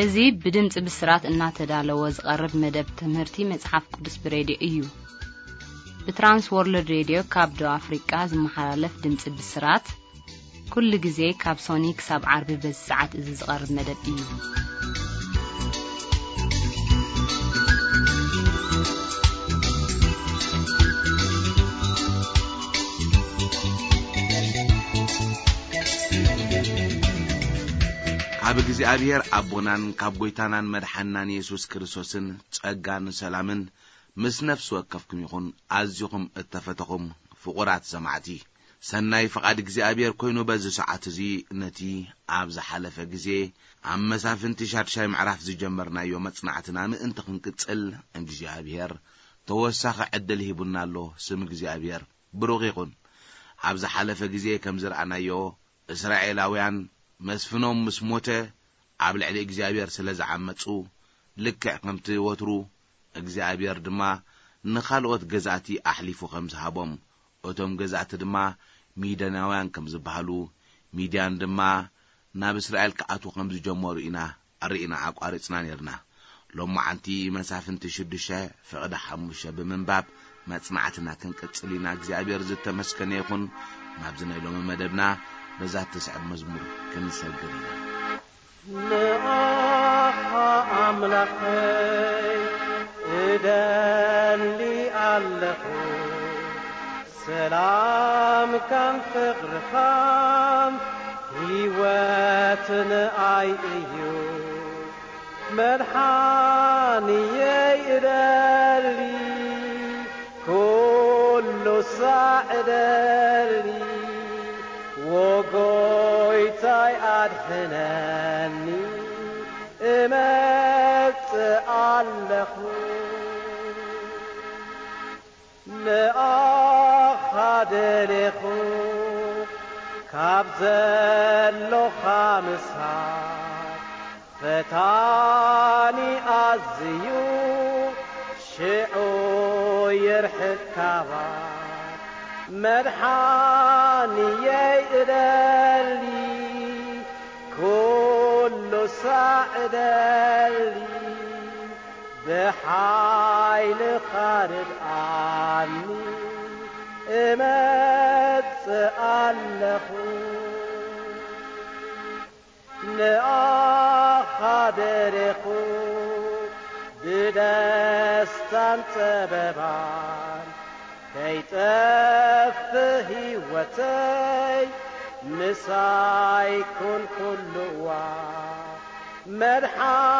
እዚ ብድምጺ ብስራት እናተዳለወ ዝቐርብ መደብ ትምህርቲ መጽሓፍ ቅዱስ ብሬድዮ እዩ። ብትራንስ ወርልድ ሬድዮ ካብ ደቡብ ኣፍሪቃ ዝመሓላለፍ ድምጺ ብስራት፣ ኩሉ ግዜ ካብ ሶኒ ክሳብ ዓርቢ በዚ ሰዓት እዚ ዝቐርብ መደብ እዩ። ካብ እግዚኣብሔር ኣቦናን ካብ ጐይታናን መድሓንናን የሱስ ክርስቶስን ጸጋን ሰላምን ምስ ነፍሲ ወከፍኩም ይኹን። ኣዚኹም እተፈተኹም ፍቑራት ሰማዕቲ፣ ሰናይ ፍቓድ እግዚኣብሔር ኮይኑ፣ በዚ ሰዓት እዚ ነቲ ኣብ ዝሓለፈ ግዜ ኣብ መሳፍንቲ ሻድሻይ ምዕራፍ ዝጀመርናዮ መጽናዕትና ምእንቲ ክንቅጽል፣ እግዚኣብሔር ተወሳኺ ዕድል ሂቡና ኣሎ። ስም እግዚኣብሔር ብሩኽ ይኹን። ኣብ ዝሓለፈ ግዜ ከም ዝረኣናዮ፣ እስራኤላውያን መስፍኖም ምስ ሞተ ኣብ ልዕሊ እግዚኣብሔር ስለ ዝዓመጹ፣ ልክዕ ከምቲ ወትሩ እግዚኣብሔር ድማ ንኻልኦት ገዛእቲ ኣሕሊፉ ከም ዝሃቦም፣ እቶም ገዛእቲ ድማ ሚድያናውያን ከም ዝበሃሉ፣ ሚድያን ድማ ናብ እስራኤል ክኣትዉ ከም ዝጀመሩ ኢና ርኢና ኣቋሪጽና ኔርና። ሎማዓንቲ መሳፍንቲ ሽዱሽተ ፍቕዲ ሓሙሽተ ብምንባብ መጽናዕትና ክንቅጽል ኢና። እግዚኣብሔር ዝተመስገነ ይኹን። ናብዚ ናይ ሎሚ መደብና በዛ እትስዕብ መዝሙር ክንሰግር ኢና። ንኣኻ ኣምላኸይ እደሊ ኣለኹ፣ ሰላምካን ፍቕርኻን ህይወት ንኣይ እዩ። መድሓንየይ እደሊ፣ ኩሉ ሳዕ እደሊ፣ ወጎይታይ ኣድሕነኒ፣ እመጽእ ኣለኹ። ንኣኻ ደሌኹ፣ ካብ ዘሎኻ ምሳሕ ፈታኒ ኣዝዩ፣ ሽዑ ይርሕቅ ካባይ። መድሓንየይ እደሊ፣ ኩሉ ሳዕ እደሊ፣ ብሓይልኻ ርድኣኒ፣ እመጽእ ኣለኹ። ንኣኻ ደሌኹ፣ ብደስታን ጸበባን ከይጠፍእ ህይወተይ፣ ምሳይ ኩን ኩሉ እዋን።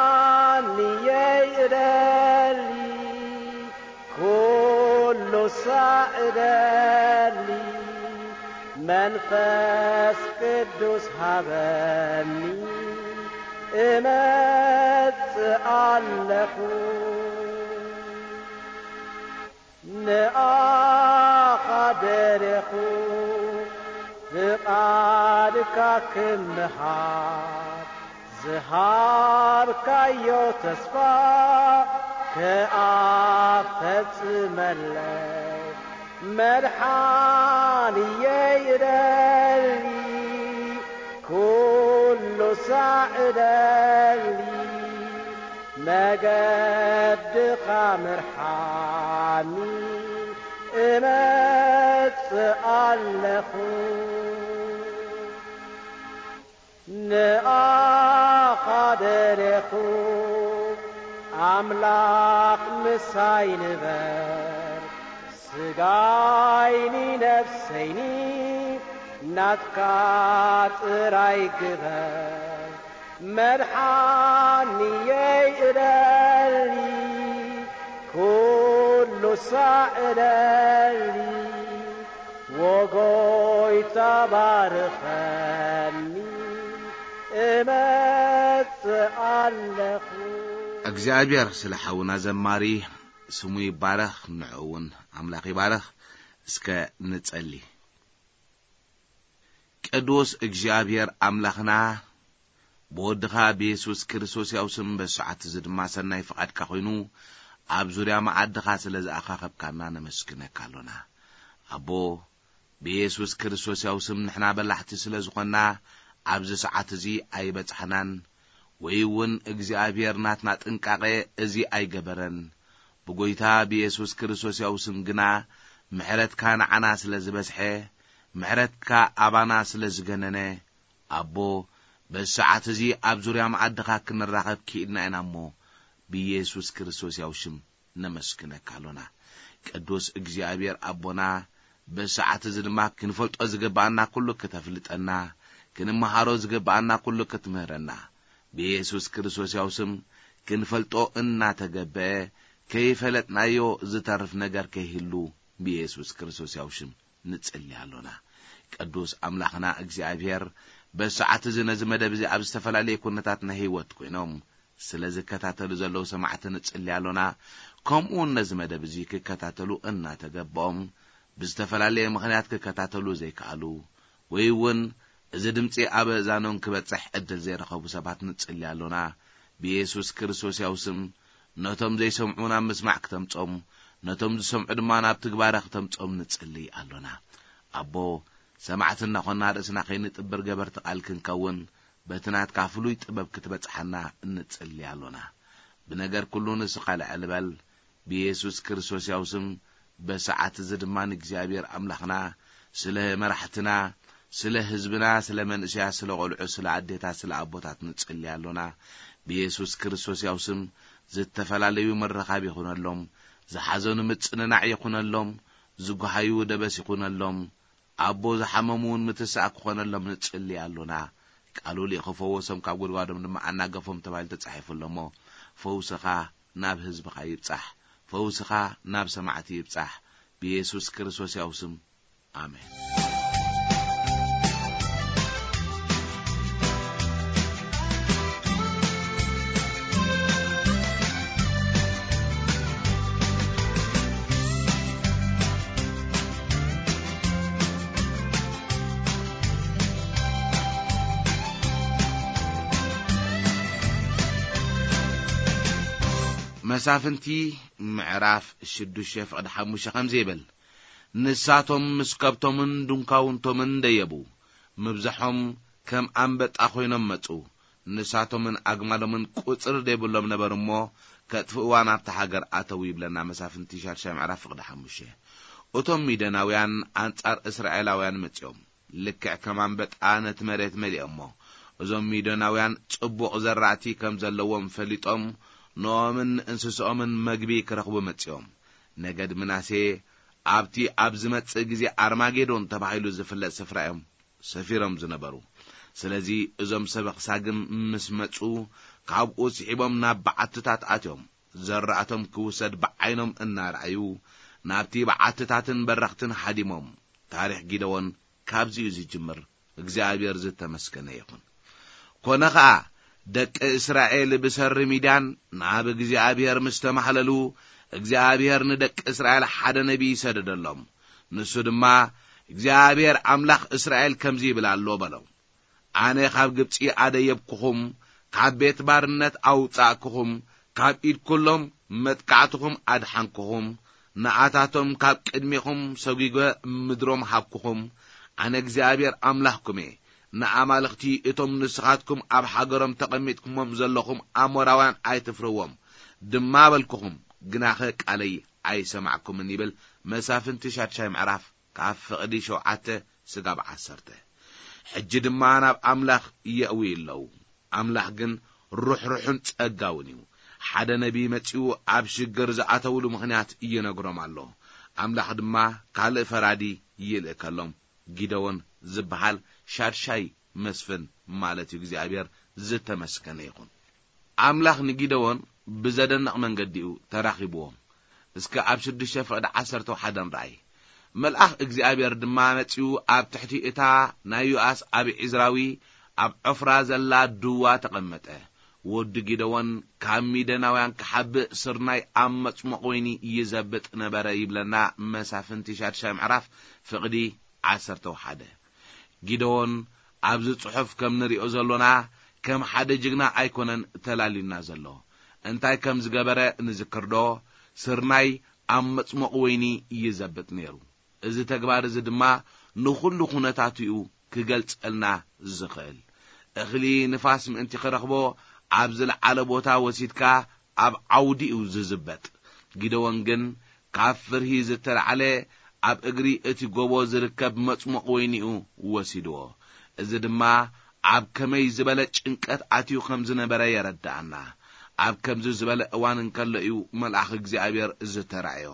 መድሓንየይ እደሊ፣ ኩሉ ሳዕ እደሊ፣ መንፈስ ቅዱስ ሃበኒ፣ እመጽእ ኣለኹ። ንኣኻ ደሌኹ፣ ፍቓድካ ክምሃር፣ ዝሃብካዮ ተስፋ ክኣ ፈጽመለይ። መድሓንየይ እደሊ፣ ኩሉ ሳዕ እደሊ፣ መገድኻ ምርሓኒ፣ እመጽእ ኣለኹ። ንኣኻ ደሌኹ፣ ኣምላኽ ምሳይ ንበር፣ ስጋይኒ ነፍሰይኒ ናትካ ጥራይ ግበር። መድሓንየይ እደሊ፣ ኩሉ ሳዕ እደሊ፣ ወጎይታ ባርኸኒ፣ እመጽእ ኣለኹ። እግዚኣብሔር ስለ ሓውና ዘማሪ ስሙ ይባረኽ፣ ንዕኡ እውን ኣምላኽ ይባረኽ። እስከ ንጸሊ። ቅዱስ እግዚኣብሔር ኣምላኽና፣ ብወድኻ ብየሱስ ክርስቶስ ያው ስም በዚ ሰዓት እዚ ድማ ሰናይ ፍቓድካ ኮይኑ ኣብ ዙርያ መዓድኻ ስለ ዝኣኻኸብካና ነመስግነካ ኣሎና። ኣቦ፣ ብየሱስ ክርስቶስ ያው ስም ንሕና በላሕቲ ስለ ዝኾንና ኣብዚ ሰዓት እዚ ኣይበጻሕናን። ወይ እውን እግዚኣብሔር ናትና ጥንቃቐ እዚ ኣይገበረን። ብጎይታ ብየሱስ ክርስቶስ ያው ስም ግና ምሕረትካ ንዓና ስለ ዝበዝሐ፣ ምሕረትካ ኣባና ስለ ዝገነነ፣ ኣቦ፣ በዚ ሰዓት እዚ ኣብ ዙርያ መኣድኻ ክንራኸብ ክኢልና ኢና እሞ፣ ብየሱስ ክርስቶስ ያው ሽም ነመስግነካ ኣሎና። ቅዱስ እግዚኣብሔር ኣቦና፣ በዚ ሰዓት እዚ ድማ ክንፈልጦ ዝግብኣና ኩሉ ክተፍልጠና፣ ክንመሃሮ ዝግብኣና ኩሉ ክትምህረና፣ ብየሱስ ክርስቶስ ያው ስም ክንፈልጦ እናተገበአ፣ ከይፈለጥናዮ ዝተርፍ ነገር ከይህሉ፣ ብየሱስ ክርስቶስ ያው ሽም ንጽሊ ኣሎና። ቅዱስ ኣምላኽና እግዚኣብሔር፣ በዚ ሰዓት እዚ ነዚ መደብ እዚ ኣብ ዝተፈላለየ ኩነታት ናይ ህይወት ኮይኖም ስለ ዝከታተሉ ዘለዉ ሰማዕቲ ንጽሊ ኣሎና። ከምኡ እውን ነዚ መደብ እዚ ክከታተሉ እናተገባኦም ብዝተፈላለየ ምኽንያት ክከታተሉ ዘይከኣሉ ወይ እውን እዚ ድምጺ ኣብ ኣእዛኖም ክበጽሕ ዕድል ዘይረኸቡ ሰባት ንጽሊ ኣሎና። ብየሱስ ክርስቶስ ያው ስም ነቶም ዘይሰምዑ ናብ ምስማዕ ክተምጾም፣ ነቶም ዝሰምዑ ድማ ናብ ትግባረ ክተምጾም ንጽሊ ኣሎና። ኣቦ፣ ሰማዕቲ እናኾንና ርእስና ከይንጥብር ገበርቲ ቃል ክንከውን፣ በቲ ናትካ ፍሉይ ጥበብ ክትበጽሓና እንጽሊ ኣሎና። ብነገር ኩሉ ንስኻ ልዕል በል። ብየሱስ ክርስቶስ ያው ስም በሰዓት እዚ ድማ ንእግዚኣብሔር ኣምላኽና ስለ መራሕትና፣ ስለ ህዝብና፣ ስለ መንእሰያት፣ ስለ ቆልዑ፣ ስለ ኣዴታት፣ ስለ ኣቦታት ንጽሊ ኣሎና። ብየሱስ ክርስቶስ ያው ስም ዝተፈላለዩ ምርኻብ ይኹነሎም፣ ዝሓዘኑ ምጽንናዕ ይኹነሎም፣ ዝጓሃዩ ደበስ ይኹነሎም፣ ኣቦ ዝሓመሙ እውን ምትሳእ ክኾነሎም ንጽሊ ኣሎና። ቃሉ ልኢኹ ፈወሶም፣ ካብ ጉድጓዶም ድማ ኣናገፎም ተባሂሉ ተጻሒፉ ኣሎ እሞ፣ ፈውስኻ ናብ ህዝብኻ ይብጻሕ፣ ፈውስኻ ናብ ሰማዕቲ ይብጻሕ። ብየሱስ ክርስቶስ ያው ስም፣ ኣሜን። መሳፍንቲ ምዕራፍ ሽዱሽተ ፍቕዲ ሓሙሽተ ከምዚ ይብል፣ ንሳቶም ምስ ከብቶምን ድንኳውንቶምን ደየቡ፣ ምብዛሖም ከም ኣንበጣ ኮይኖም መጹ። ንሳቶምን ኣግማሎምን ቁጽሪ ዘይብሎም ነበሩ እሞ፣ ከጥፍእዋ ናብታ ሃገር ኣተዉ ይብለና መሳፍንቲ ሻድሻይ ምዕራፍ ፍቕዲ ሓሙሽተ። እቶም ሚደናውያን ኣንጻር እስራኤላውያን መጺኦም፣ ልክዕ ከም ኣንበጣ ነቲ መሬት መሊኦሞ። እዞም ሚደናውያን ጽቡቕ ዘራእቲ ከም ዘለዎም ፈሊጦም፣ ንኦምን ንእንስስኦምን መግቢ ክረኽቡ መጺኦም። ነገድ ምናሴ ኣብቲ ኣብ ዝመጽእ ግዜ ኣርማጌዶን ተባሂሉ ዝፍለጥ ስፍራ እዮም ሰፊሮም ዝነበሩ። ስለዚ እዞም ሰብ ኣኽሳግም ምስ መጹ፣ ካብኡ ስሒቦም ናብ በዓትታት ኣትዮም፣ ዘራእቶም ክውሰድ ብዓይኖም እናረኣዩ፣ ናብቲ በዓትታትን በረኽትን ሃዲሞም። ታሪኽ ጊደዎን ካብዚ እዩ ዝጅምር። እግዚኣብሔር ዝተመስገነ ይኹን። ኮነ ኸኣ፣ ደቂ እስራኤል ብሰሪ ሚድያን ናብ እግዚኣብሔር ምስ ተማህለሉ፣ እግዚኣብሔር ንደቂ እስራኤል ሓደ ነቢይ ሰደደሎም። ንሱ ድማ፣ እግዚኣብሔር ኣምላኽ እስራኤል ከምዚ ይብል ኣሎ በሎ። ኣነ ካብ ግብጺ ኣደየብኩኹም፣ ካብ ቤት ባርነት ኣውጻእኩኹም፣ ካብ ኢድ ኩሎም መጥቃዕትኹም ኣድሓንኩኹም፣ ንኣታቶም ካብ ቅድሜኹም ሰጒገ ምድሮም ሃብኩኹም። ኣነ እግዚኣብሔር ኣምላኽኩም እየ። ንኣማልኽቲ እቶም ንስኻትኩም ኣብ ሃገሮም ተቐሚጥኩሞም ዘለኹም ኣሞራውያን ኣይትፍርዎም ድማ በልኩኹም፣ ግናኸ ቃለይ ኣይሰማዕኩምን ይብል መሳፍንቲ ሻድሻይ ምዕራፍ ካብ ፍቕዲ ሸውዓተ ስጋብ ዓሰርተ። ሕጂ ድማ ናብ ኣምላኽ የእዊ ኣለዉ። ኣምላኽ ግን ርሕሩሕን ጸጋውን እዩ። ሓደ ነቢይ መጺኡ ኣብ ሽግር ዝኣተውሉ ምኽንያት ይነግሮም ኣሎ። ኣምላኽ ድማ ካልእ ፈራዲ ይልእከሎም። ጊደዎን ዝበሃል ሻድሻይ መስፍን ማለት እዩ። እግዚኣብሔር ዝተመስገነ ይኹን። ኣምላኽ ንጊደዎን ብዘደንቕ መንገዲ እዩ ተራኺብዎ። እስከ ኣብ ሽዱሽተ ፍቕዲ ዓሰርተ ሓደ ንርኣይ። መልኣኽ እግዚኣብሔር ድማ መጺኡ ኣብ ትሕቲ እታ ናይ ዮኣስ ኣብ ዒዝራዊ ኣብ ዖፍራ ዘላ ድዋ ተቐመጠ። ወዲ ጊደዎን ካብ ሚደናውያን ክሓብእ ስርናይ ኣብ መጽሞቕ ወይኒ ይዘብጥ ነበረ ይብለና መሳፍንቲ ሻድሻይ ምዕራፍ ፍቕዲ ዓሰርተ ሓደ። ጊደዎን ኣብዚ ጽሑፍ ከም ንሪኦ ዘሎና ከም ሓደ ጅግና ኣይኮነን ተላልዩና ዘሎ። እንታይ ከም ዝገበረ ንዝክርዶ፣ ስርናይ ኣብ መጽሞቕ ወይኒ ይዘብጥ ነይሩ። እዚ ተግባር እዚ ድማ ንኹሉ ኩነታቱ እዩ ክገልጸልና ዝኽእል። እኽሊ ንፋስ ምእንቲ ክረኽቦ ኣብ ዝለዓለ ቦታ ወሲድካ ኣብ ዓውዲ እዩ ዝዝበጥ። ጊደዎን ግን ካብ ፍርሂ ዝተላዕለ ኣብ እግሪ እቲ ጎቦ ዝርከብ መጽሙቕ ወይኒ እዩ ወሲድዎ። እዚ ድማ ኣብ ከመይ ዝበለ ጭንቀት ኣትዩ ከም ዝነበረ የረድኣና። ኣብ ከምዚ ዝበለ እዋን እንከሎ እዩ መልኣኽ እግዚኣብሔር ዝተራእዮ።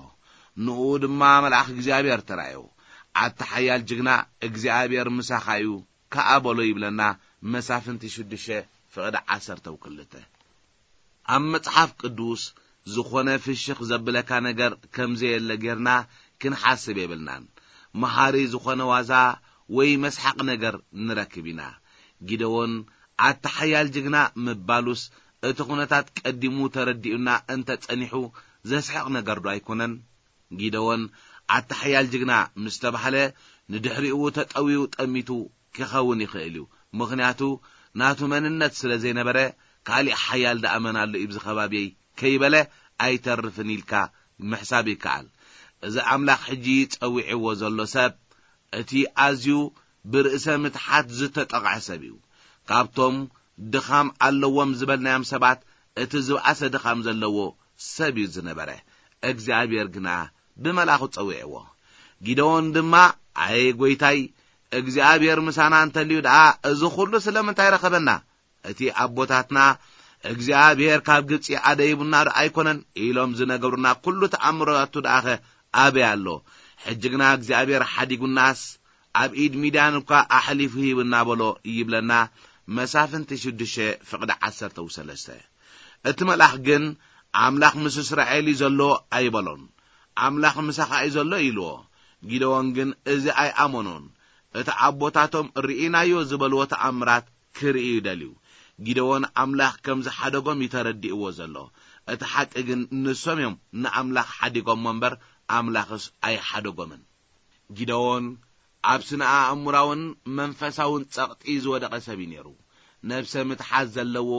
ንኡ ድማ መልኣኽ እግዚኣብሔር ተራእዮ። ኣታ ሓያል ጅግና፣ እግዚኣብሔር ምሳኻ እዩ፣ ከኣ በሎ ይብለና መሳፍንቲ ሽዱሽተ ፍቕዲ ዓሰርተ ክልተ። ኣብ መጽሓፍ ቅዱስ ዝኾነ ፍሽኽ ዘብለካ ነገር ከም ዘየለ ጌርና ክንሓስብ የብልናን። መሃሪ ዝኾነ ዋዛ ወይ መስሓቕ ነገር ንረክብ ኢና። ጊደዎን ኣታ ሓያል ጅግና ምባሉስ እቲ ኩነታት ቀዲሙ ተረዲኡና እንተ ጸኒሑ ዘስሕቕ ነገር ዶ ኣይኮነን? ጊደዎን ኣታ ሓያል ጅግና ምስ ተባህለ ንድሕሪኡ ተጠውዩ ጠሚቱ ክኸውን ይኽእል እዩ። ምኽንያቱ ናቱ መንነት ስለ ዘይነበረ ካሊእ ሓያል ደኣ መን ኣሎ እዩ ኣብዚ ከባቢየይ ከይበለ ኣይተርፍን ኢልካ ምሕሳብ ይከኣል። እዚ ኣምላኽ ሕጂ ጸዊዕዎ ዘሎ ሰብ እቲ ኣዝዩ ብርእሰ ምትሓት ዝተጠቕዐ ሰብ እዩ። ካብቶም ድኻም ኣለዎም ዝበልናዮም ሰባት እቲ ዝበኣሰ ድኻም ዘለዎ ሰብ እዩ ዝነበረ። እግዚኣብሔር ግና ብመልኣኹ ጸዊዕዎ። ጊደዎን ድማ ኣየ ጐይታይ፣ እግዚኣብሔር ምሳና እንተልዩ ደኣ እዚ ኹሉ ስለምንታይ ረኸበና? እቲ ኣቦታትና እግዚኣብሔር ካብ ግብጺ ኣደይቡና ዶ ኣይኮነን ኢሎም ዝነገሩና ኩሉ ተኣምራቱ ደኣኸ ኣበይ ኣሎ? ሕጂ ግና እግዚኣብሔር ሓዲጉናስ ኣብ ኢድ ሚድያን እኳ ኣሕሊፉ ሂብና በሎ ይብለና መሳፍንቲ ሽዱሽተ ፍቕዲ ዓሰርተ ሰለስተ። እቲ መልኣኽ ግን ኣምላኽ ምስ እስራኤል እዩ ዘሎ ኣይበሎን። ኣምላኽ ምሳኻ እዩ ዘሎ ኢልዎ። ጊደዎን ግን እዚ ኣይኣመኖን። እቲ ኣቦታቶም ርኢናዮ ዝበልዎ ተኣምራት ክርኢ እዩ ደልዩ። ጊደዎን ኣምላኽ ከም ዝሓደጎም እዩ ተረዲእዎ ዘሎ። እቲ ሓቂ ግን ንሶም እዮም ንኣምላኽ ሓዲጎሞ እምበር ኣምላኽስ ኣይሓደጎምን። ጊደዎን ኣብ ስነ ኣእምራውን መንፈሳውን ጸቕጢ ዝወደቐ ሰብ እዩ ነይሩ። ነብሰ ምትሓት ዘለዎ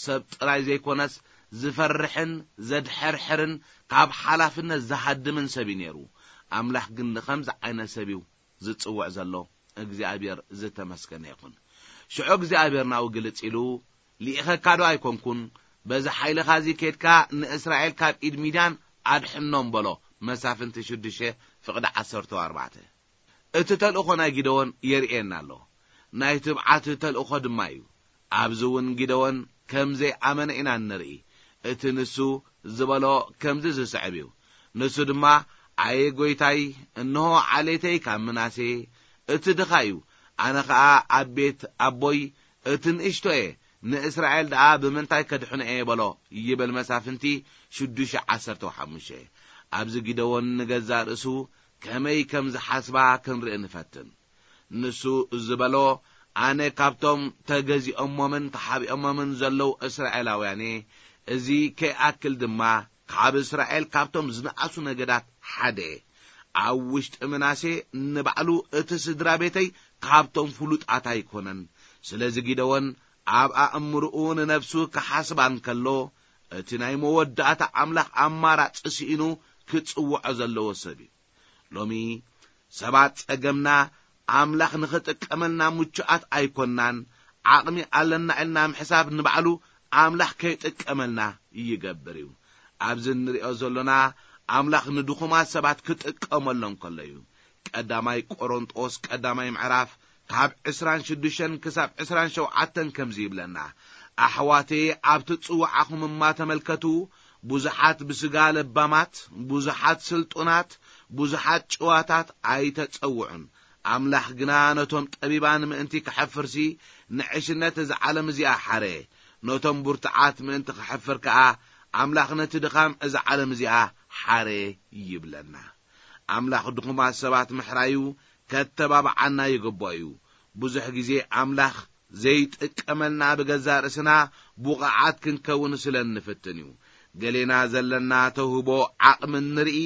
ሰብ ጥራይ ዘይኮነስ ዝፈርሕን ዘድሐርሕርን ካብ ሓላፍነት ዝሃድምን ሰብ እዩ ነይሩ። ኣምላኽ ግን ንኸምዚ ዓይነት ሰብ እዩ ዝጽውዕ ዘሎ። እግዚኣብሔር ዝተመስገነ ይኹን። ሽዑ እግዚኣብሔር ናብኡ ግልጽ ኢሉ፣ ልኢኸካ ዶ ኣይኮንኩን? በዚ ሓይልኻ እዚ ኬድካ ንእስራኤል ካብ ኢድ ሚድያን ኣድሕኖም በሎ። መሳፍንቲ ሽዱሽተ ፍቕዲ ዓሰርተ ኣርባዕተ። እቲ ተልእኾ ናይ ጊደዎን የርእየና ኣሎ። ናይ ትብዓት ተልእኾ ድማ እዩ። ኣብዚ እውን ጊደዎን ከም ዘይኣመነ ኢና እንርኢ። እቲ ንሱ ዝበሎ ከምዚ ዝስዕብ እዩ። ንሱ ድማ፣ ኣየ ጐይታይ፣ እንሆ ዓሌተይ ካብ ምናሴ እቲ ድኻ እዩ፣ ኣነ ኸኣ ኣብ ቤት ኣቦይ እቲ ንእሽቶ እየ፣ ንእስራኤል ደኣ ብምንታይ ከድሕኖ እየ በሎ ይብል መሳፍንቲ ሽዱሽተ ዓሰርተ ሓሙሽተ። ኣብዚ ጊደዎን ንገዛእ ርእሱ ከመይ ከም ዝሓስባ ክንርኢ ንፈትን። ንሱ ዝበሎ፣ ኣነ ካብቶም ተገዚኦሞምን ተሓቢኦሞምን ዘለዉ እስራኤላውያን እየ። እዚ ከይኣክል ድማ ካብ እስራኤል ካብቶም ዝነኣሱ ነገዳት ሓደ እየ። ኣብ ውሽጢ ምናሴ ንባዕሉ እቲ ስድራ ቤተይ ካብቶም ፍሉጣት ኣይኮነን። ስለዚ ጊደዎን ኣብ ኣእምርኡ ንነፍሱ ክሓስባ እንከሎ፣ እቲ ናይ መወዳእታ ኣምላኽ ኣማራጺ ስኢኑ ክጽውዖ ዘለዎ ሰብ እዩ። ሎሚ ሰባት ጸገምና ኣምላኽ ንኽጥቀመልና ምቹኣት ኣይኮናን። ዓቕሚ ኣለና ኢልና ምሕሳብ ንባዕሉ ኣምላኽ ከይጥቀመልና ይገብር እዩ። ኣብዚ እንሪኦ ዘሎና ኣምላኽ ንድኹማት ሰባት ክጥቀመሎም ከሎ እዩ። ቀዳማይ ቆሮንጦስ ቀዳማይ ምዕራፍ ካብ ዕስራን ሽዱሽተን ክሳብ ዕስራን ሸውዓተን ከምዚ ይብለና፣ ኣሕዋተየ ኣብ ትጽውዓኹም እማ ተመልከቱ፣ ብዙሓት ብስጋ ለባማት፣ ብዙሓት ስልጡናት፣ ብዙሓት ጭዋታት ኣይተጸውዑን። ኣምላኽ ግና ነቶም ጠቢባን ምእንቲ ክሐፍርሲ ንዕሽነት እዛ ዓለም እዚኣ ሓረ። ነቶም ብርቱዓት ምእንቲ ክሐፍር ከኣ ኣምላኽ ነቲ ድኻም እዛ ዓለም እዚኣ ሓረ ይብለና። ኣምላኽ ድኹማት ሰባት ምሕራዩ ከተባብዓና ይግብኦ እዩ። ብዙሕ ግዜ ኣምላኽ ዘይጥቀመልና ብገዛእ ርእስና ብቑዓት ክንከውን ስለ እንፍትን እዩ። ገሌና ዘለና ተውህቦ ዓቕሚ ንርኢ፣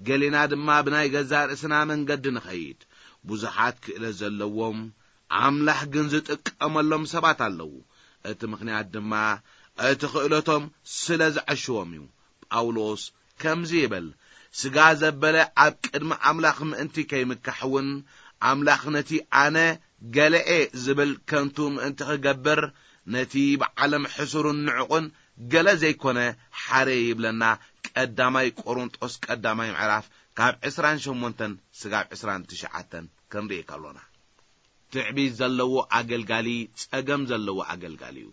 ገሌና ድማ ብናይ ገዛእ ርእስና መንገዲ ንኸይድ። ብዙሓት ክእለት ዘለዎም ኣምላኽ ግን ዝጥቀመሎም ሰባት ኣለዉ። እቲ ምኽንያት ድማ እቲ ክእለቶም ስለ ዘዐሽዎም እዩ። ጳውሎስ ከምዚ ይብል፣ ስጋ ዘበለ ኣብ ቅድሚ ኣምላኽ ምእንቲ ከይምካሕ እውን ኣምላኽ ነቲ ኣነ ገለኤ ዝብል ከንቱ ምእንቲ ክገብር ነቲ ብዓለም ሕሱርን ንዕቑን ገለ ዘይኮነ ሓረ ይብለና። ቀዳማይ ቆሮንጦስ ቀዳማይ ምዕራፍ ካብ ዕስራን ሸሞንተን ስጋብ ዕስራን ትሽዓተን ክንርኢ ከሎና፣ ትዕቢት ዘለዎ ኣገልጋሊ ጸገም ዘለዎ ኣገልጋሊ እዩ።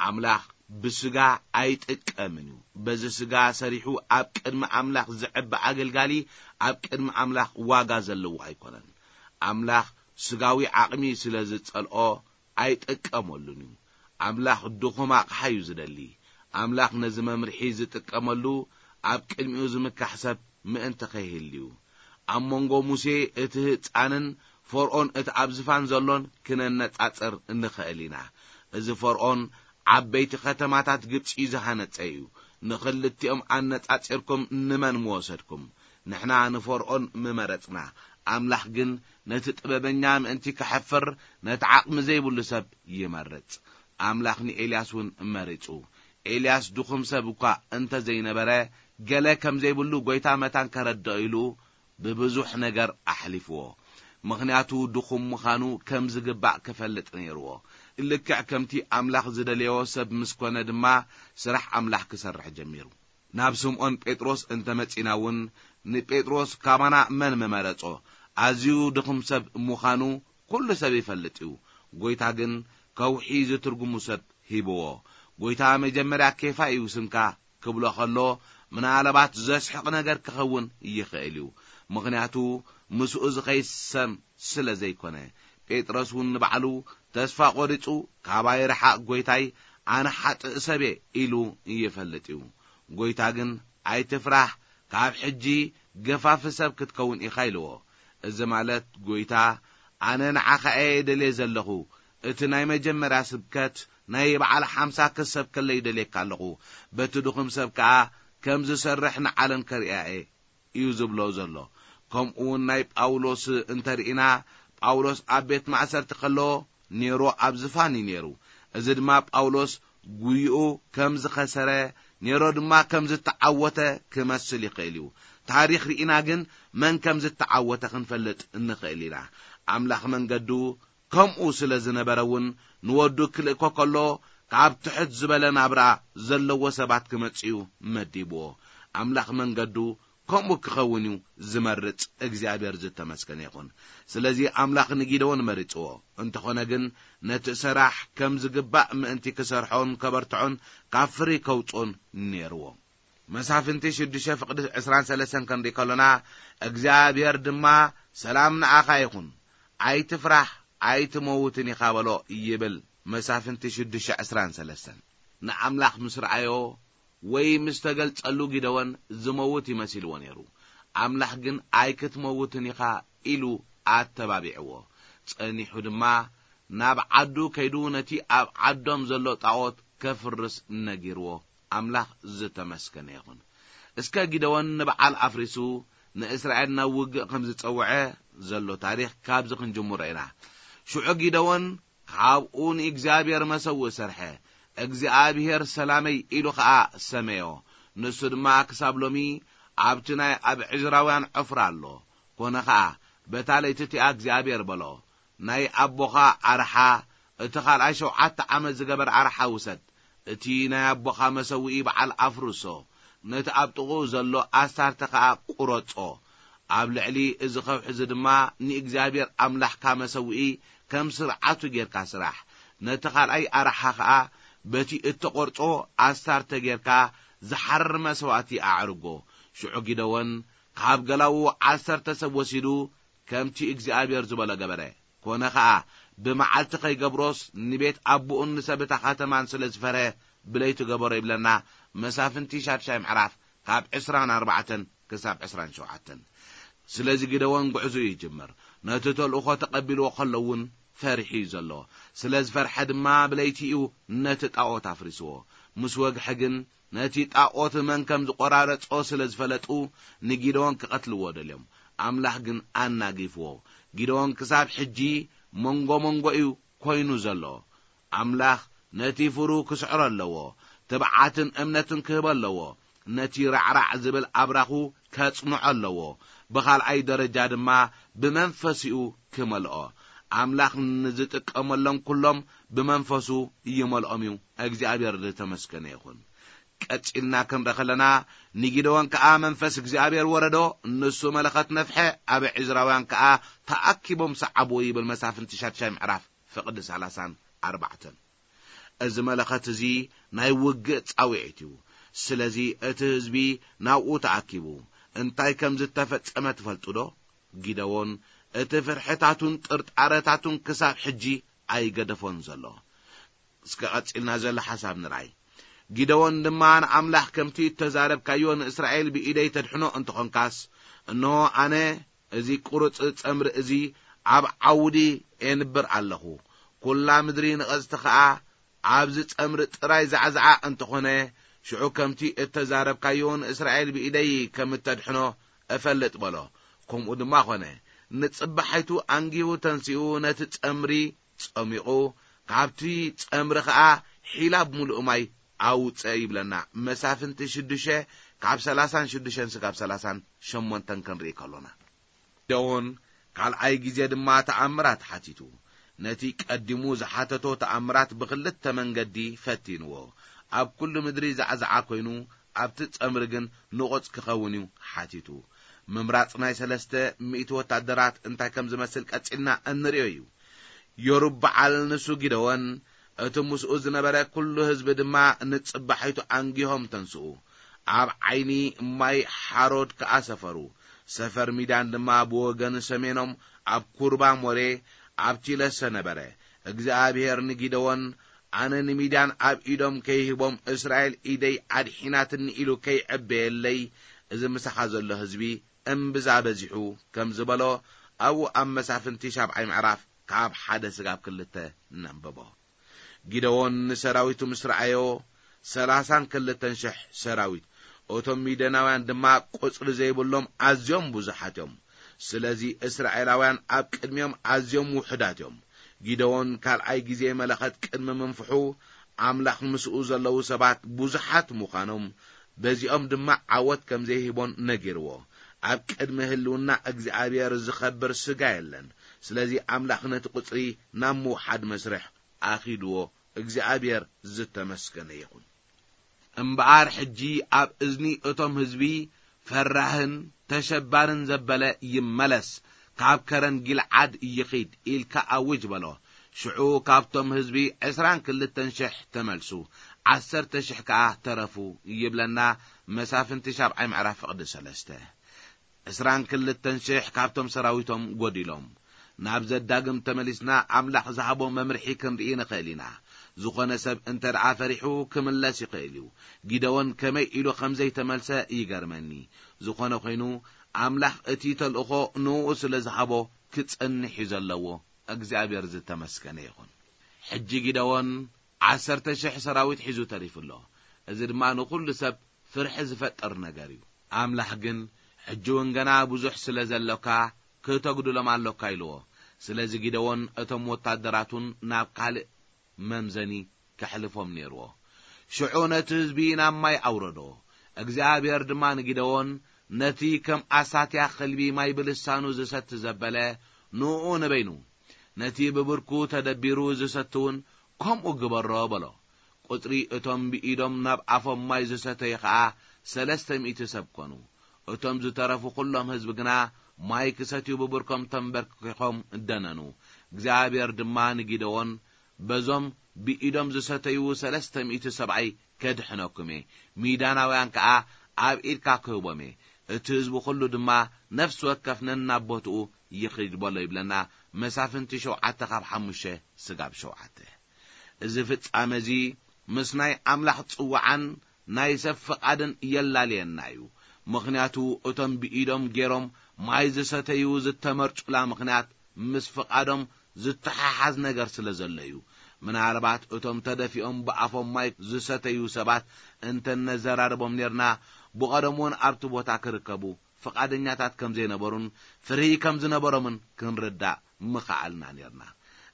ኣምላኽ ብስጋ ኣይጥቀምን እዩ። በዚ ስጋ ሰሪሑ ኣብ ቅድሚ ኣምላኽ ዝዕቢ ኣገልጋሊ ኣብ ቅድሚ ኣምላኽ ዋጋ ዘለዎ ኣይኮነን። ኣምላኽ ስጋዊ ዓቕሚ ስለ ዝጸልኦ ኣይጥቀመሉን እዩ። ኣምላኽ ድኹም ኣቕሓ እዩ ዝደሊ። ኣምላኽ ነዚ መምርሒ ዝጥቀመሉ ኣብ ቅድሚኡ ዝምካሕ ሰብ ምእንቲ ከይህልዩ። ኣብ መንጎ ሙሴ እቲ ህጻንን ፈርኦን እቲ ኣብ ዝፋን ዘሎን ክነነጻጽር እንኽእል ኢና። እዚ ፈርኦን ዓበይቲ ከተማታት ግብጺ ዝሃነጸ እዩ። ንኽልቲኦም ኣነጻጺርኩም ንመን ምወሰድኩም? ንሕና ንፈርኦን ምመረጽና። ኣምላኽ ግን ነቲ ጥበበኛ ምእንቲ ከሐፍር ነቲ ዓቕሚ ዘይብሉ ሰብ ይመርጽ። ኣምላኽ ንኤልያስ እውን መሪጹ። ኤልያስ ድኹም ሰብ እኳ እንተ ዘይነበረ፣ ገለ ከም ዘይብሉ ጐይታ መታን ከረድኦ ኢሉ ብብዙሕ ነገር ኣሕሊፍዎ። ምኽንያቱ ድኹም ምዃኑ ከም ዝግባእ ክፈልጥ ነይርዎ። ልክዕ ከምቲ ኣምላኽ ዝደለዮ ሰብ ምስ ኮነ ድማ ስራሕ ኣምላኽ ክሰርሕ ጀሚሩ። ናብ ስምዖን ጴጥሮስ እንተ መጺና እውን ንጴጥሮስ ካባና መን ምመረጾ? ኣዝዩ ድኹም ሰብ ምዃኑ ኩሉ ሰብ ይፈልጥ እዩ። ጐይታ ግን ከውሒ ዝትርጉሙ ሰብ ሂብዎ። ጐይታ መጀመርያ ኬፋ እዩ ስምካ ክብሎ ከሎ ምናልባት ዘስሕቕ ነገር ክኸውን ይኽእል እዩ። ምኽንያቱ ምስኡ ዝኸይድ ሰም ስለ ዘይኮነ። ጴጥሮስ እውን ንባዕሉ ተስፋ ቖሪጹ ካባይ ርሓቕ ጐይታይ ኣነ ሓጥእ ሰብየ ኢሉ ይፈልጥ እዩ። ጐይታ ግን ኣይትፍራህ ካብ ሕጂ ገፋፊ ሰብ ክትከውን ኢኻ ኢልዎ። እዚ ማለት ጐይታ ኣነ ንዓኻ እየ ደልየ ዘለኹ። እቲ ናይ መጀመርያ ስብከት ናይ በዓል ሓምሳ ክሰብከለይ ደልየካ ኣለኹ። በቲ ድኹም ሰብ ከኣ ከም ዝሰርሕ ንዓለም ከርእያ እየ እዩ ዝብሎ ዘሎ። ከምኡ እውን ናይ ጳውሎስ እንተርኢና ጳውሎስ ኣብ ቤት ማእሰርቲ ከሎ ኔሮ ኣብ ዝፋን እዩ ነይሩ። እዚ ድማ ጳውሎስ ጉይኡ ከም ዝኸሰረ ኔሮ ድማ ከም ዝተዓወተ ክመስል ይኽእል እዩ። ታሪኽ ርኢና ግን መን ከም ዝተዓወተ ክንፈልጥ እንኽእል ኢና። ኣምላኽ መንገዱ ከምኡ ስለ ዝነበረ እውን ንወዱ ክልእኮ ከሎ ካብ ትሕት ዝበለ ናብራ ዘለዎ ሰባት ክመጽኡ መዲብዎ። ኣምላኽ መንገዱ ከምኡ ክኸውን እዩ ዝመርጽ። እግዚኣብሔር ዝተመስገነ ይኹን። ስለዚ ኣምላኽ ንጊደዎን መሪጽዎ። እንተኾነ ግን ነቲ ሰራሕ ከም ዝግባእ ምእንቲ ክሰርሖን ከበርትዖን ካብ ፍሪ ከውጽኦን ነይርዎ። መሳፍንቲ ሽዱሽተ ፍቕዲ ዕስራን ሰለስተን ክንርኢ ከሎና እግዚኣብሔር ድማ ሰላም ንኣኻ ይኹን፣ ኣይትፍራህ ኣይትመውትን ኢኻ በሎ ይብል። መሳፍንቲ ሽዱሽተ ዕስራን ሰለስተን ንኣምላኽ ምስ ረኣዮ ወይ ምስ ተገልጸሉ ጊደዎን ዝመውት ይመሲልዎ ነይሩ። ኣምላኽ ግን ኣይክትመውትን ኢኻ ኢሉ ኣተባቢዕዎ። ጸኒሑ ድማ ናብ ዓዱ ከይዱ ነቲ ኣብ ዓዶም ዘሎ ጣዖት ከፍርስ ነጊርዎ። ኣምላኽ ዝተመስገነ ይኹን። እስከ ጊደዎን ንበዓል ኣፍሪሱ ንእስራኤል ናብ ውግእ ከም ዝጸውዐ ዘሎ ታሪኽ ካብዚ ክንጅምሮ ኢና። ሽዑ ጊደዎን ካብኡ ንእግዚኣብሔር መሰውእ ሰርሐ። እግዚኣብሔር ሰላመይ ኢሉ ኸኣ ሰመዮ። ንሱ ድማ ክሳብ ሎሚ ኣብቲ ናይ ኣብ ዕዝራውያን ዖፍራ ኣሎ። ኮነ ኸኣ በታ ለይቲ እቲኣ እግዚኣብሔር በሎ፣ ናይ ኣቦኻ ኣርሓ፣ እቲ ኻልኣይ ሸውዓተ ዓመት ዝገበር ኣርሓ ውሰድ። እቲ ናይ ኣቦኻ መሰውኢ በዓል ኣፍርሶ፣ ነቲ ኣብ ጥቕኡ ዘሎ ኣስታርተ ኸኣ ቁረጾ። ኣብ ልዕሊ እዚ ኸውሒ እዚ ድማ ንእግዚኣብሔር ኣምላኽካ መሰውኢ ከም ስርዓቱ ጌርካ ስራሕ። ነቲ ኻልኣይ ኣርሓ ኸኣ በቲ እተቖርጾ ኣስታርተ ጌርካ ዝሓርር መስዋእቲ ኣዕርጎ። ሽዑ ጊደዎን ካብ ገላዉ ዓሰርተ ሰብ ወሲዱ ከምቲ እግዚኣብሔር ዝበሎ ገበረ። ኮነ ኸኣ ብመዓልቲ ኸይገብሮስ ንቤት ኣቦኡን ንሰብ እታ ኸተማን ስለ ዝፈርሀ ብለይቲ ገበሮ ይብለና። መሳፍንቲ ሻድሻይ ምዕራፍ ካብ ዕስራን ኣርባዕተን ክሳብ ዕስራን ሸውዓተን። ስለዚ ጊደዎን ጉዕዞኡ ይጅምር። ነቲ ተልእኾ ተቐቢልዎ ከሎ እውን ፈሪሑ እዩ ዘሎ። ስለ ዝፈርሐ ድማ ብለይቲ እዩ ነቲ ጣዖት ኣፍሪስዎ። ምስ ወግሐ ግን ነቲ ጣዖት መን ከም ዝቖራረጾ ስለ ዝፈለጡ ንጊደዎን ክቐትልዎ ደልዮም። ኣምላኽ ግን ኣናጊፍዎ። ጊደዎን ክሳብ ሕጂ መንጎ መንጎ እዩ ኮይኑ ዘሎ። ኣምላኽ ነቲ ፍሩ ክስዕሮ ኣለዎ። ትብዓትን እምነትን ክህቦ ኣለዎ። ነቲ ራዕራዕ ዝብል ኣብራኹ ከጽንዖ ኣለዎ። ብኻልኣይ ደረጃ ድማ ብመንፈሲኡ ክመልኦ። ኣምላኽ ንዝጥቀመሎም ኩሎም ብመንፈሱ ይመልኦም እዩ። እግዚኣብሔር ዝተመስገነ ይኹን። ቀጺልና ክንርኢ ከለና፣ ንጊደዎን ከኣ መንፈስ እግዚኣብሔር ወረዶ፣ ንሱ መለኸት ነፍሐ፣ ኣብ ዕዝራውያን ከኣ ተኣኪቦም ሰዓብዎ ይብል መሳፍንቲ ሻድሻይ ምዕራፍ ፍቕዲ ሰላሳን ኣርባዕተን። እዚ መለኸት እዚ ናይ ውግእ ጻውዒት እዩ። ስለዚ እቲ ህዝቢ ናብኡ ተኣኪቡ እንታይ ከም ዝተፈጸመ ትፈልጡ ዶ? ጊደዎን እቲ ፍርሕታቱን ጥርጣረታቱን ክሳብ ሕጂ ኣይገደፎን ዘሎ። እስከ ቀጺልና ዘሎ ሓሳብ ንርኣይ። ጊደዎን ድማ ንኣምላኽ ከምቲ እተዛረብካዮ ንእስራኤል ብኢደይ ተድሕኖ እንተኾንካስ፣ እንሆ ኣነ እዚ ቁሩጽ ጸምሪ እዚ ኣብ ዓውዲ ኤንብር ኣለኹ። ኩላ ምድሪ ንቐጽቲ ኸኣ ኣብዚ ጸምሪ ጥራይ ዛዕዛዓ እንተኾነ፣ ሽዑ ከምቲ እተዛረብካዮ ንእስራኤል ብኢደይ ከም እተድሕኖ እፈልጥ በሎ። ከምኡ ድማ ኾነ። ንጽባሒቱ ኣንጊሁ ተንሲኡ ነቲ ጸምሪ ጸሚቑ፣ ካብቲ ጸምሪ ኸኣ ሒላብ ምሉእ ማይ ኣውጸ ይብለና። መሳፍንቲ ሽዱሽተ ካብ ሰላሳን ሽዱሽተን ስጋብ ሰላሳን ሸሞንተን ክንርኢ ከሎና። ጊደዎን ካልኣይ ግዜ ድማ ተኣምራት ሓቲቱ። ነቲ ቀዲሙ ዝሓተቶ ተኣምራት ብኽልተ መንገዲ ፈቲንዎ። ኣብ ኩሉ ምድሪ ዛዕዛዓ ኮይኑ፣ ኣብቲ ጸምሪ ግን ንቑጽ ክኸውን እዩ ሓቲቱ። ምምራጽ ናይ ሰለስተ ሚእቲ ወታደራት እንታይ ከም ዝመስል ቀጺልና እንርእዮ እዩ። ዮሩብዓል ንሱ ጊደዎን፣ እቲ ምስኡ ዝነበረ ኩሉ ህዝቢ ድማ ንጽባሒቱ ኣንጊሆም ተንስኡ። ኣብ ዓይኒ ማይ ሓሮድ ከኣ ሰፈሩ። ሰፈር ሚዳን ድማ ብወገን ሰሜኖም ኣብ ኩርባ ሞሬ ኣብ ቲለሰ ነበረ። እግዚኣብሔር ንጊደዎን፣ ኣነ ንሚዳን ኣብ ኢዶም ከይህቦም እስራኤል ኢደይ ኣድሒናትኒ ኢሉ ከይዕበየለይ፣ እዚ ምሳኻ ዘሎ ህዝቢ እምብዛ በዚሑ ከም ዝበሎ ኣብኡ ኣብ መሳፍንቲ ሻብዓይ ምዕራፍ ካብ ሓደ ስጋብ ክልተ ነንብቦ። ጊደዎን ንሰራዊቱ ምስ ረኣዮ፣ ሰላሳን ክልተን ሽሕ ሰራዊት፣ እቶም ሚደናውያን ድማ ቁጽሪ ዘይብሎም ኣዝዮም ብዙሓት እዮም። ስለዚ እስራኤላውያን ኣብ ቅድሚኦም ኣዝዮም ውሑዳት እዮም። ጊደዎን ካልኣይ ግዜ መለኸት ቅድሚ ምንፍሑ፣ ኣምላኽ ምስኡ ዘለዉ ሰባት ብዙሓት ምዃኖም፣ በዚኦም ድማ ዓወት ከም ዘይህቦን ነጊርዎ። ኣብ ቅድሚ ህልውና እግዚኣብሔር ዝኸብር ስጋ የለን። ስለዚ ኣምላኽ ነቲ ቁጽሪ ናብ ምውሓድ መስርሕ ኣኺድዎ። እግዚኣብሔር ዝተመስገነ ይኹን። እምበኣር ሕጂ ኣብ እዝኒ እቶም ህዝቢ ፈራህን ተሸባርን ዘበለ ይመለስ፣ ካብ ከረን ጊልዓድ ይኺድ ኢልካ ኣውጅ በሎ። ሽዑ ካብቶም ህዝቢ ዕስራን ክልተን ሽሕ ተመልሱ፣ ዓሰርተ ሽሕ ከኣ ተረፉ ይብለና መሳፍንቲ ሻብዓይ ምዕራፍ ፍቕዲ ሰለስተ። ዕስራን ክልተን ሽሕ ካብቶም ሰራዊቶም ጎዲሎም። ናብ ዘዳግም ተመሊስና ኣምላኽ ዝሃቦ መምርሒ ክንርኢ ንኽእል ኢና። ዝኾነ ሰብ እንተ ደኣ ፈሪሑ ክምለስ ይኽእል እዩ። ጊደዎን ከመይ ኢሉ ከም ዘይተመልሰ ይገርመኒ። ዝኾነ ኾይኑ፣ ኣምላኽ እቲ ተልእኾ ንኡ ስለ ዝሃቦ ክጸንሕ እዩ ዘለዎ። እግዚኣብሔር ዝተመስገነ ይኹን። ሕጂ ጊደዎን ዓሰርተ ሽሕ ሰራዊት ሒዙ ተሪፉ ኣሎ። እዚ ድማ ንኹሉ ሰብ ፍርሒ ዝፈጥር ነገር እዩ። ኣምላኽ ግን፣ ሕጂ እውን ገና ብዙሕ ስለ ዘሎካ፣ ክተጉድሎም ኣሎካ ኢልዎ። ስለዚ ጊደዎን እቶም ወታደራቱን ናብ ካልእ መምዘኒ ከሕልፎም ነይርዎ። ሽዑ ነቲ ህዝቢ ናብ ማይ ኣውረዶ። እግዚኣብሔር ድማ ንጊደዎን፣ ነቲ ከም ኣሳትያ ኸልቢ ማይ ብልሳኑ ዝሰቲ ዘበለ፣ ንኡ ንበይኑ፣ ነቲ ብብርኩ ተደቢሩ ዝሰቲ እውን ከምኡ ግበሮ በሎ። ቁጽሪ እቶም ብኢዶም ናብ ኣፎም ማይ ዝሰተዩ ኸኣ ሰለስተ ሚእቲ ሰብ ኰኑ። እቶም ዝተረፉ ኵሎም ህዝቢ ግና ማይ ክሰትዩ ብብርኮም ተንበርኪኾም ደነኑ። እግዚኣብሔር ድማ ንጊደዎን፣ በዞም ብኢዶም ዝሰተዩ ሰለስተ ሚእቲ ሰብኣይ ከድሕነኩም እየ፣ ሚዳናውያን ከኣ ኣብ ኢድካ ክህቦም እየ። እቲ ህዝቢ ኵሉ ድማ ነፍሲ ወከፍ ነናብ ቦትኡ ይኺድ በሎ ይብለና መሳፍንቲ ሸውዓተ ካብ ሓሙሽተ ስጋብ ሸውዓተ። እዚ ፍጻመ እዚ ምስ ናይ ኣምላኽ ጽውዓን ናይ ሰብ ፍቓድን የላልየና እዩ። ምኽንያቱ እቶም ብኢዶም ገይሮም ማይ ዝሰተዩ ዝተመርጹላ ምኽንያት ምስ ፍቓዶም ዝተሓሓዝ ነገር ስለ ዘሎ እዩ። ምናልባት እቶም ተደፊኦም ብኣፎም ማይ ዝሰተዩ ሰባት እንተ ነዘራርቦም ኔርና፣ ብቐደም እውን ኣብቲ ቦታ ክርከቡ ፍቓደኛታት ከም ዘይነበሩን ፍርሂ ከም ዝነበሮምን ክንርዳእ ምኸኣልና ኔርና።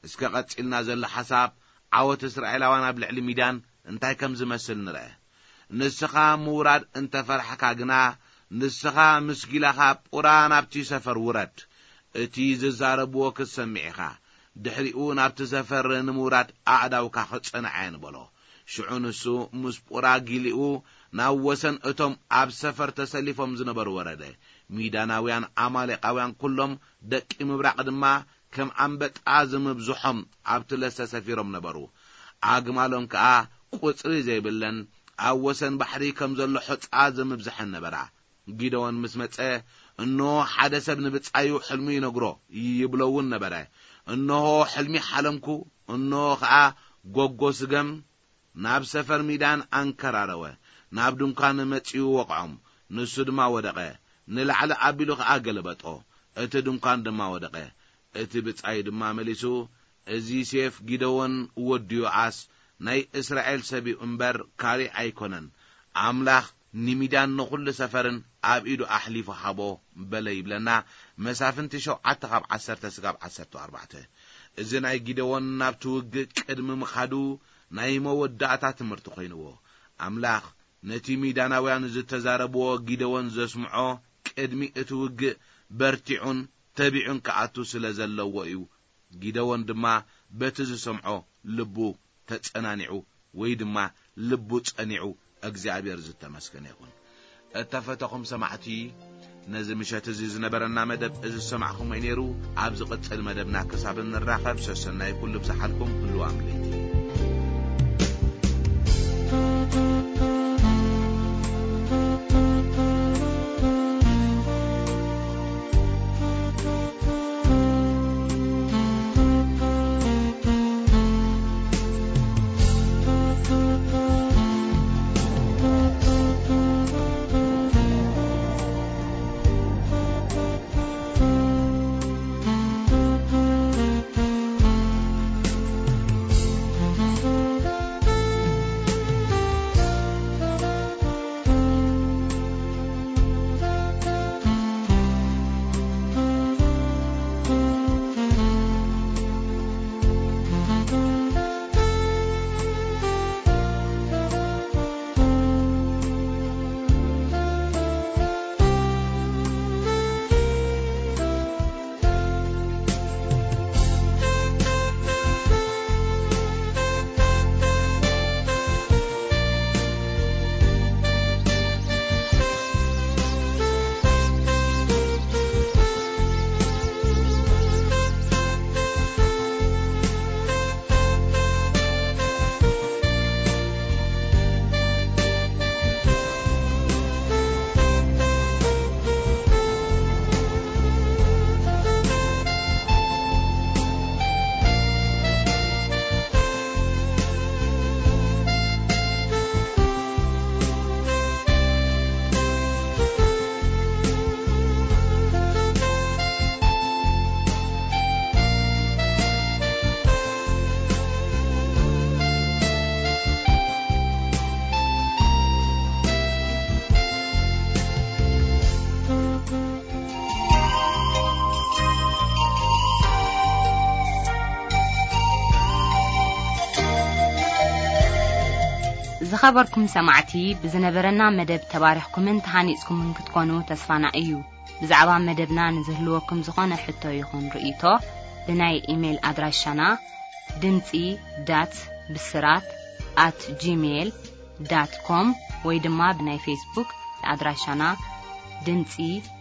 እስከ ቀጺልና ዘሎ ሓሳብ ዓወት እስራኤላውያን ኣብ ልዕሊ ሚድያን እንታይ ከም ዝመስል ንርአ። ንስኻ ምውራድ እንተ ፈራሕካ ግና፣ ንስኻ ምስ ጊላኻ ቁራ ናብቲ ሰፈር ውረድ። እቲ ዝዛረብዎ ክትሰምዕ ኢኻ። ድሕሪኡ ናብቲ ሰፈር ንምውራድ ኣእዳውካ ክጸንዓ እየን በሎ። ሽዑ ንሱ ምስ ፑራ ጊሊኡ ናብ ወሰን እቶም ኣብ ሰፈር ተሰሊፎም ዝነበሩ ወረደ። ሚዳናውያን ኣማሌቃውያን ኩሎም ደቂ ምብራቕ ድማ ከም ኣንበጣ ዝምብዝሖም ኣብቲ ለሰ ሰፊሮም ነበሩ። ኣግማሎም ከኣ ቁጽሪ ዘይብለን ኣብ ወሰን ባሕሪ ከም ዘሎ ሑጻ ዝምብዝሐን ነበራ። ጊደዎን ምስ መጸ፣ እንሆ ሓደ ሰብ ንብጻዩ ሕልሙ ይነግሮ ይብሎ እውን ነበረ። እንሆ ሕልሚ ሓለምኩ፣ እንሆ ኸኣ ጎጎ ስገም ናብ ሰፈር ሚዳን ኣንከራረወ። ናብ ድንኳን መጺኡ ወቕዖም፣ ንሱ ድማ ወደቐ። ንላዕሊ ኣቢሉ ኸኣ ገለበጦ፣ እቲ ድንኳን ድማ ወደቐ። እቲ ብጻዩ ድማ መሊሱ፣ እዚ ሴፍ ጊደዎን ወዲ ዮኣስ ናይ እስራኤል ሰብ እዩ እምበር ካልእ ኣይኮነን። ኣምላኽ ንሚዳን ንኹሉ ሰፈርን ኣብ ኢዱ ኣሕሊፉ ሃቦ በለ ይብለና። መሳፍንቲ ሸውዓተ ካብ ዓሰርተ ስጋብ ዓሰርተ ኣርባዕተ። እዚ ናይ ጊደዎን ናብቲ ውግእ ቅድሚ ምኻዱ ናይ መወዳእታ ትምህርቲ ኮይንዎ። ኣምላኽ ነቲ ሚዳናውያን ዝተዛረብዎ ጊደዎን ዘስምዖ ቅድሚ እቲ ውግእ በርቲዑን ተቢዑን ክኣቱ ስለ ዘለዎ እዩ። ጊደዎን ድማ በቲ ዝሰምዖ ልቡ ተጸናኒዑ ወይ ድማ ልቡ ጸኒዑ። እግዚኣብሔር ዝተመስገነ ይኹን። እተፈተኹም ሰማዕቲ፣ ነዚ ምሸት እዚ ዝነበረና መደብ እዚ ዝሰማዕኹሞ እዩ ነይሩ። ኣብ ዝቕጽል መደብና ክሳብ እንራኸብ ሰሰናይ ኩሉ ብዝሓልኩም ህልዋ ምልእቲ። ዝኸበርኩም ሰማዕቲ፣ ብዝነበረና መደብ ተባሪኽኩምን ተሃኒጽኩምን ክትኮኑ ተስፋና እዩ። ብዛዕባ መደብና ንዝህልወኩም ዝኾነ ሕቶ ይኹን ርእይቶ፣ ብናይ ኢሜይል ኣድራሻና ድምጺ ዳት ብስራት ኣት ጂሜይል ዳት ኮም ወይ ድማ ብናይ ፌስቡክ ኣድራሻና ድምጺ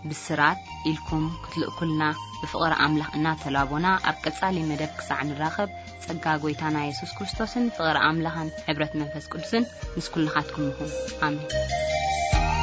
ብስራት ኢልኩም ክትልእኩልና ብፍቕሪ ኣምላኽ እናተላቦና፣ ኣብ ቀጻሊ መደብ ክሳዕ ንራኸብ፣ ጸጋ ጐይታና የሱስ ክርስቶስን ፍቕሪ ኣምላኽን ሕብረት መንፈስ ቅዱስን ምስ ኩልኻትኩም ይኹን። ኣሜን።